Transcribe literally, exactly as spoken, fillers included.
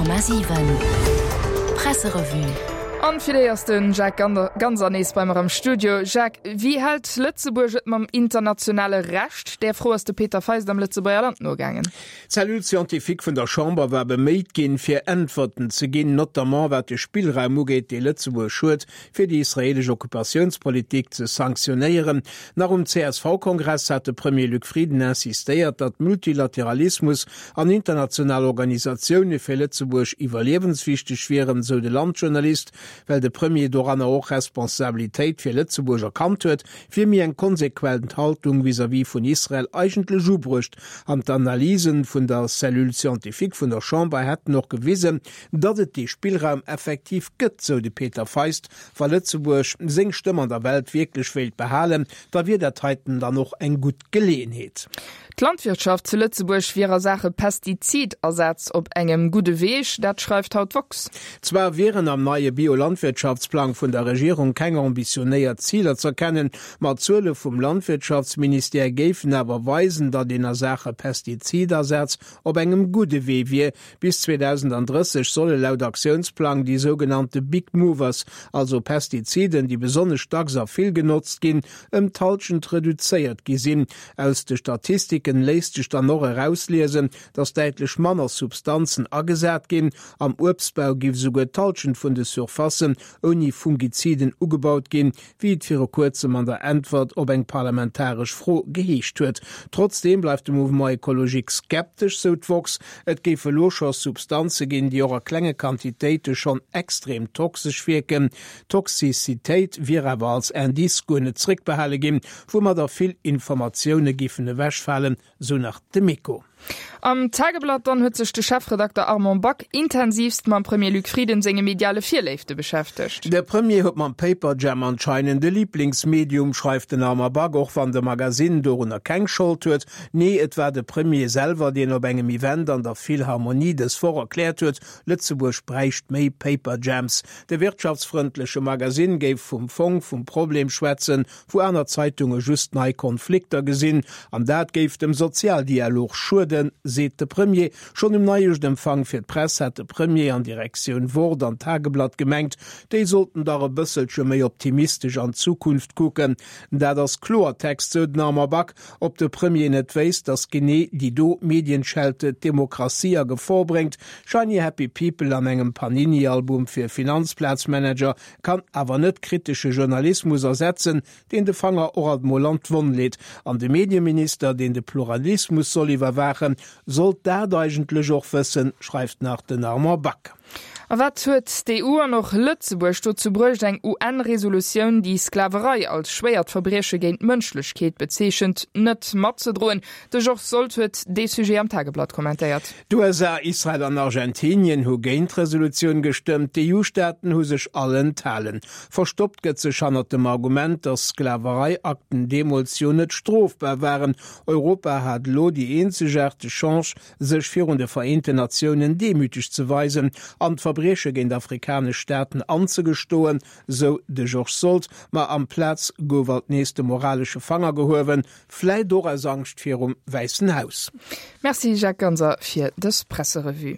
Komma siwen Presserevue. An fir déi ass den Jacques Ganser nees bei mer am Studio. Jacques, wéi hält Lëtzebuerg et mam internationale Recht? Där Fro ass de Peter Feist am Lëtzebuerger Land nogaangen. D'Cellule scientifique vun der Chamber war beméit ginn, fir Äntwerten ze ginn, notamment wat de Spillraum ugeet, dee Lëtzebuerg huet, fir déi israelesch Occupatiounspolitik ze sanktionéieren. Nach um C S V-Kongress hat de Premier Luc Frieden insistéiert, datt Multilateralismus an international Organisatioune fir Lëtzebuerg iwwerliewenswichteg wieren, sou de Landjournalist. Well de Premier doranner och Responsabilitéit fir Lëtzebuerg erkannt huet, wier méi eng konsequent Haltung vis-à-vis vun Israel eigentlech ubruecht. An d'Analysen vun der Cellule scientifique vun der Chamber hätten och gewisen, datt et dee Spillraum effektiv gëtt, sou de Peter Feist. Wa Lëtzebuerg seng Stëmm an der Welt wierklech wéilt behalen, da wier dat heiten dann och eng gutt Geleeënheet. D'Landwirtschaft zu Lëtzebuerg wier a Saache Pestizidasaz op engem gudde Weeg, dat schreift haut d'woxx. Zwar wieren am neie Biolandwirtschaftsplang vun der Regierung keng ambitionéiert Ziler z'erkennen, ma d'Zuele vum Landwirtschaftsministère géifen awer weisen, datt een a Saache Pestizidasaz op engem gudde Wee wier. Bis zweedausenddrësseg solle laut Aktiounsplang déi sougenannte Big Movers, also Pestiziden, déi besonnesch dacks a vill genotzt ginn, ëm d'Hallschent reduzéiert gi sinn. Aus de Statistiken léisst sech dann och erausliesen, datt däitlech manner Substanzen agesat ginn. Am Uebstbau géif esouguer d'Hallschent vun de Surfacen ouni Fungiziden ugebaut ginn, wéi et viru kuerzem an der Äntwert op eng parlamentaresch Fro geheescht huet. Trotzdeem bleift de Mouvement Ecologique skeptesch, sou d'woxx. Et géif elo scho Substanze ginn, déi och a klenge Quantitéite schonn extrem toxesch wierken. D'Toxizitéit wier awer als Indice guer net zréckbehale ginn, woumadder vill Informatioune géifen ewechfalen, sou nach de Méco. Am Tageblatt dann huet sech de Chefredakter Armand Back intensivst mam Premier Luc Frieden senge mediale Virléifte beschäftegt. De Premier huet mam Paperjam anscheinend e Liblingsmedium, schreift den Armand Back, och wann de Magasinn dorunner keng Schold huet. Nee, et war de Premier selwer, deen op engem Event an der Philharmonie dës Woch erkläert huet, Lëtzebuerg bräicht méi Paperjams. De wirtschaftsfrëndleche Magasinn géif vum Fong vum Problem schwätzen, wou aner Zeitunge just nei Konflikter gesinn. An dat géif dem Sozialdialog schueden, seet de Premier. Schonn um Neijoerschempfang fir d'Press hat de Premier an Direktioun Wort an Tageblatt gemengt, déi sollten dach e bësselche méi optimistesch an d'Zukunft kucken. Dat ass Kloertext, sou den Armand Back. Ob de Premier net wéisst, datt genee déi do Medienschelte d'Demokratie a Gefor bréngt? Shiny Happy People an engem Panini-Album fir Finanzplazmanager kann awer net kritesche Journalismus ersetzen, deen de Fanger och alt mol an d'Wonn leet. An de Medieminister, deen de Pluralismus soll iwwerwaachen, sollt dat eigentlech och wëssen, schreift nach den Armand Back. A wat huet d'E U an och Lëtzebuerg dozou bruecht, eng U N-Resolutioun, déi Sklaverei als schwéiert Verbrieche géint d'Mënschlechkeet bezeechent, net matzedroen? De Georges Sold huet dee Sujet am Tageblatt kommentéiert. D'U S A, Israel an Argentinien hu géint d'Resolutioun gestëmmt, d'E U-Staaten hu sech all enthalen. Verstoppt gëtt sech hannert dem Argument, datt Sklavereiakten deemools jo net strofbar waren. Europa hat elo déi eenzegaarteg Chance, sech virun de Vereenten Natiounen demüteg ze weisen an d'Verbrieche géint afrikanesch Staaten anzegestoen, sou de Georges Sold, ma amplaz gouf alt nees de moralesche Fanger gehuewen, vläit och aus Angscht virum Wäissen Haus. Merci Jacques Ganser fir dës Presserevue.